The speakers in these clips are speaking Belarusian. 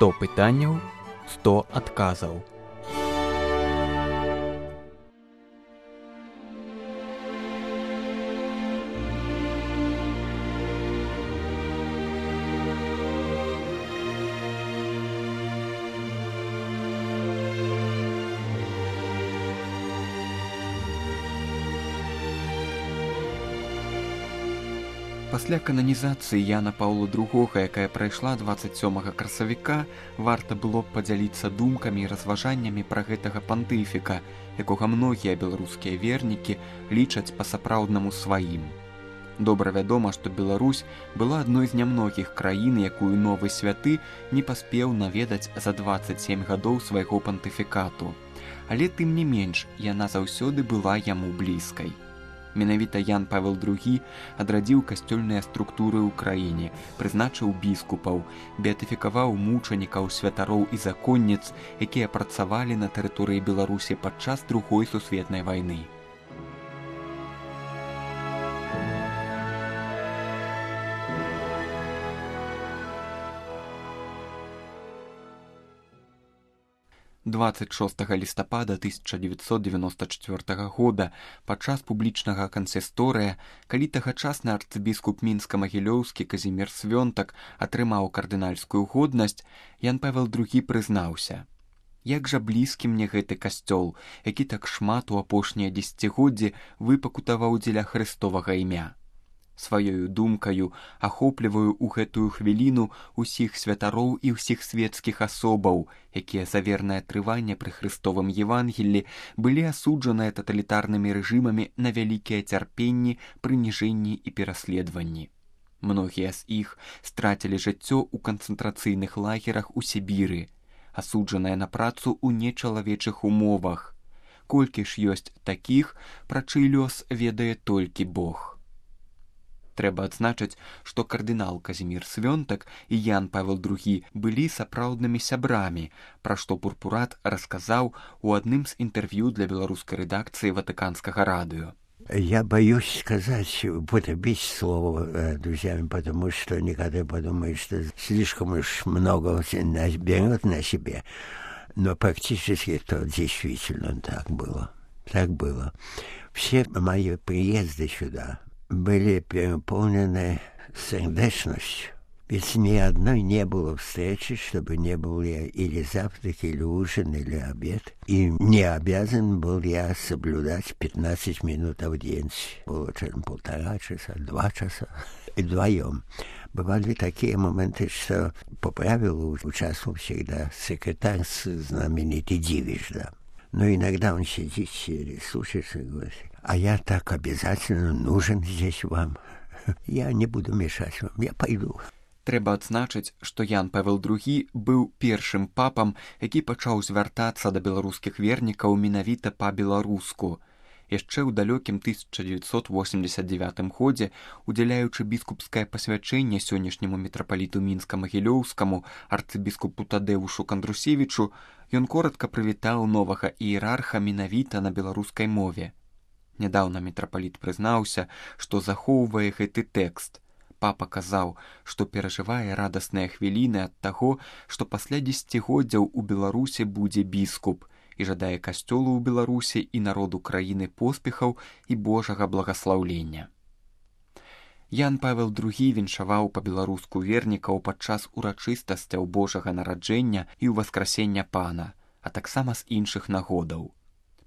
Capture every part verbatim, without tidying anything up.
сто пытанняў, сто адказаў. Пасля кананізацыі Яна Паўла другога, якая прайшла дваццаць сёмага красавіка, варта было б падзяліцца думкамі і разважаннямі пра гэтага пантыфіка, якога многія беларускія вернікі лічаць па-сапраўднаму сваім. Добра вядома, што Беларусь была адной з нямногіх краін, якую новы святы не паспеў наведаць за дваццаць сем гадоў свайго пантыфікату. Але тым не менш, яна заўсёды была яму блізкай. Менавіта Ян Павел другі адрадзіў касцёльныя структуры ў краіне, прызначыў біскупаў, беатыфікаваў мучанікаў, святароў і законніц, якія працавалі на тэрыторыі Беларусі падчас Другой сусветнай вайны. дваццаць шостага лістапада тысяча дзевяцьсот дзевяноста чацвёртага года падчас публічнага кансісторыя, калі тагачасны арцыбіскуп мінска-магілёўскі Казімір Свёнтак атрымаў кардынальскую годнасць, Ян Павел другі прызнаўся: «Як жа блізкі мне гэты касцёл, які так шмат у апошнія дзесяцігоддзі выпакутаваў дзеля Хрыстовага імя. Сваёю думкаю ахопліваю ў гэтую хвіліну ўсіх святароў і ўсіх свецкіх асобаў, якія за вернае трыванне пры Хрыстовым Евангеллі былі асуджаныя таталітарнымі рэжымамі на вялікія цярпенні, прыніжэнні і пераследаванні. Многія з іх страцілі жыццё ў канцэнтрацыйных лагерах у Сібіры, асуджаныя на працу ў нечалавечых умовах. Колькі ж ёсць такіх, пра чый лёс ведае толькі Бог». Трэба адзначыць, што кардынал Казімір Свёнтак і Ян Павел другі былі сапраўднымі сябрамі, пра што Пурпурат расказаў у адным з інтэрв'ю для беларускай рэдакцыі Ватыканскага радыё. Я боюсь сказать, употребить слово друзьями, потому что некоторые подумают, что слишком уж много берет на себе. Но практически это действительно так было. Так было. Все мои приезды сюда были переполнены сердечностью. Ведь ни одной не было встречи, чтобы не был я или завтрак, или ужин, или обед. И не обязан был я соблюдать пятнадцать минут аудиенции. Было чем полтора часа, два часа. И вдвоем. Бывали такие моменты, что по правилу участвовал всегда секретарь знаменитый Дивиш, да. Но иногда он сидит или слушается и говорит: «А я так обязательно нужен здесь вам. Я не буду мешать вам, я пойду». Трэба адзначыць, што Ян Павел другі быў першым папам, які пачаў звяртацца да беларускіх вернікаў менавіта па-беларуску. Яшчэ ў далёкім тысяча дзевяцьсот восемьдесят девятым годзе, удзяляючы біскупскае пасвячэнне сённяшняму мітрапаліту мінска-магілёўскаму арцыбіскупу Тадэвушу Кандрусевічу, ён коратка прывітаў новага іерарха менавіта на беларускай мове. Нядаўна мітрапаліт прызнаўся, што захоўвае гэты тэкст. Папа казаў, што перажывае радасныя хвіліны ад таго, што пасля дзесяцігоддзяў у Беларусі будзе біскуп, і жадае касцёлу ў Беларусі і народу краіны поспехаў і Божага благаслаўлення. Ян Павел другі віншаваў па-беларуску вернікаў падчас урачыстасцяў Божага нараджэння і ўваскрасення Пана, а таксама з іншых нагодаў.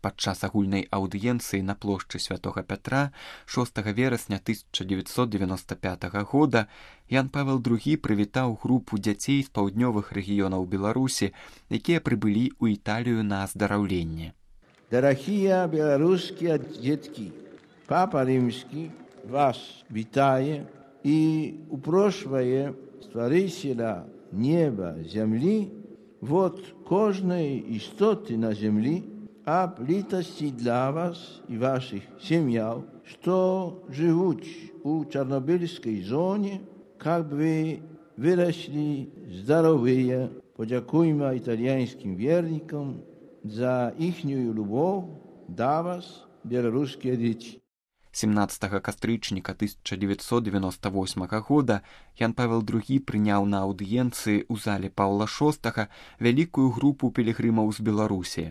Падчас агульнай аўдыенцыі на плошчы Святога Пятра шостага верасня тысяча дзевяцьсот девяносто пятага года Ян Павел другі прывітаў групу дзяцей з паўднёвых рэгіёнаў Беларусі, якія прыбылі ў Італію на аздараўленне. Дарагія беларускія дзеткі, Папа Римский вас вітае і упрошвае Стварыцеля неба, зямлі, вот кожнай істоты на зямлі, об літасці для вас і ваших сім'яў, што жывуць у Чарнобыльскай зоне, каб вы выраслі здаровыя. Подякуйма італьянскім вернікам за іхнюю любоў да вас, беларускія дзеці. семнаццатага кастрычніка тысяча девятьсот девяносто восьмага года Ян Павел другі прыняў на аўдыенцыі ў зале Паўла шостага вялікую групу пілігрымаў з Беларусі.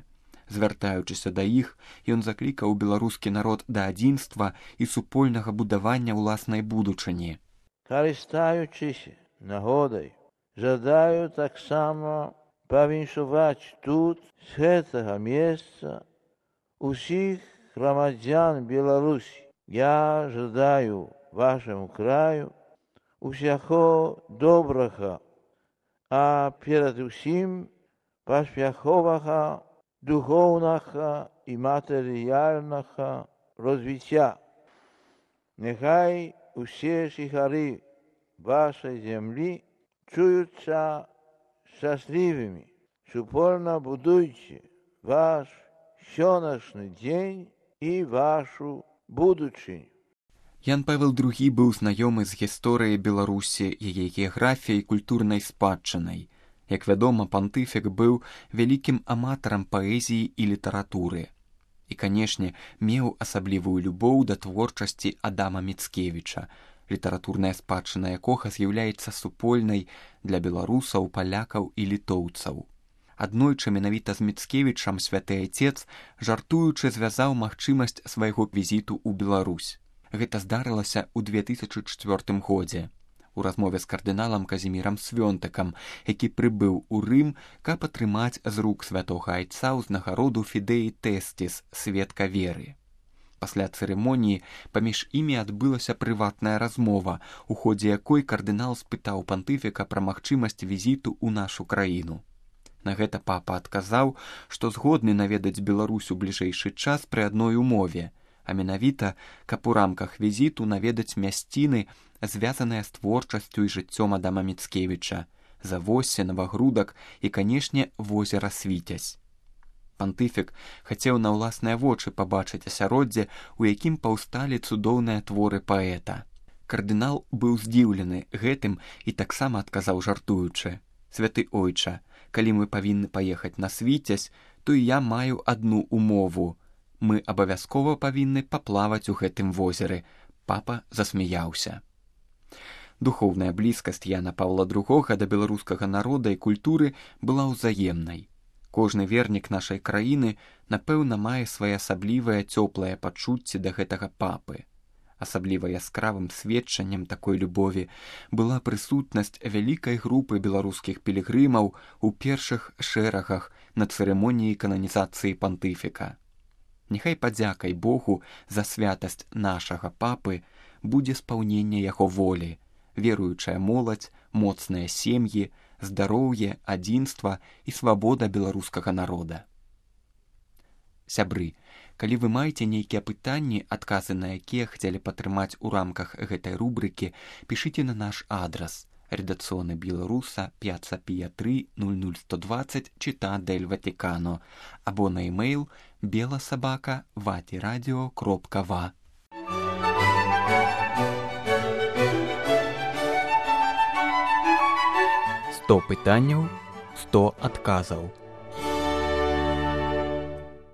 Звяртаючыся да іх, ён заклікаў беларускі народ да адзінства і супольнага будавання ўласнай будучыні. Карыстаючыся нагодай, жадаю таксама павіншаваць тут, з гэтага месца, усіх грамадзян Беларусі. Я жадаю вашаму краю усяго добрага, а перад усім паспяховага духоўнага і матэрыяльнага развіцця. Няхай усе жыхары вашай зямлі чуюцца шчаслівымі. Супольна будуйце ваш сённяшні дзень і вашу будучыню. Ян Павел другі быў знаёмы з гісторыяй Беларусі, яе геаграфіяй і культурнай спадчынай. Як вядома, пантыфік быў вялікім аматарам паэзіі і літаратуры. І, канешне, меў асаблівую любоў да творчасці Адама Міцкевіча, літаратурная спадчына якога з'яўляецца супольнай для беларусаў, палякаў і літоўцаў. Аднойчы менавіта з Міцкевічам святы айцец, жартуючы, звязаў магчымасць свайго візіту ў Беларусь. Гэта здарылася ў две тысячы чвёртым годзе. У размове з кардыналам Казімірам Свёнтыкам, які прыбыў у Рым, каб атрымаць з рук святога айца ўзнагароду Фідеі Тэсціс, сведка веры. Пасля цырымоніі паміж імі адбылася прыватная размова, у ходзе якой кардынал спытаў пантыфіка пра магчымасць візіту ў нашу краіну. На гэта папа адказаў, што згодны наведаць Беларусь у бліжэйшы час пры адной умове, а менавіта, каб у рамках візіту наведаць мясціны, звязаныя з творчасцю і жыццём Адама Міцкевіча, Завоссе, Новагрудак і, канешне, возера Свіцязь. Пантыфік хацеў на ўласныя вочы пабачыць асяроддзе, у якім паўсталі цудоўныя творы паэта. Кардынал быў здзіўлены гэтым і таксама адказаў жартуючы: «Святы ойча, калі мы павінны паехаць на Свіцязь, то і я маю адну умову. Мы абавязкова павінны паплаваць у гэтым возеры». Папа засмяяўся. Духоўная блізкасць Яна Паўла другога да беларускага народа і культуры была ўзаемнай. Кожны вернік нашай краіны, напэўна, мае свае асаблівыя цёплыя пачуцці да гэтага папы. Асабліва яскравым сведчаннем такой любові была прысутнасць вялікай групы беларускіх пілігрымаў у першых шэрагах на цырымоніі кананізацыі пантыфіка. Няхай падзякай Богу за святасць нашага папы будзе спаўненне яго волі, веруючая моладзь, моцныя сем'і, здароўе, адзінства і свабода беларускага народа. Сябры, калі вы маеце нейкія пытанні, адказы на якія хацелі падтрымаць у рамках гэтай рубрыкі, пішыце на наш адрас: редакцыоны Беларуса, Пьяцца Пія три, нуль нуль сто двадцать, Città del Vaticano, або на e-mail беласабака ватирадио кропка ва. сто пытанняў, сто адказаў.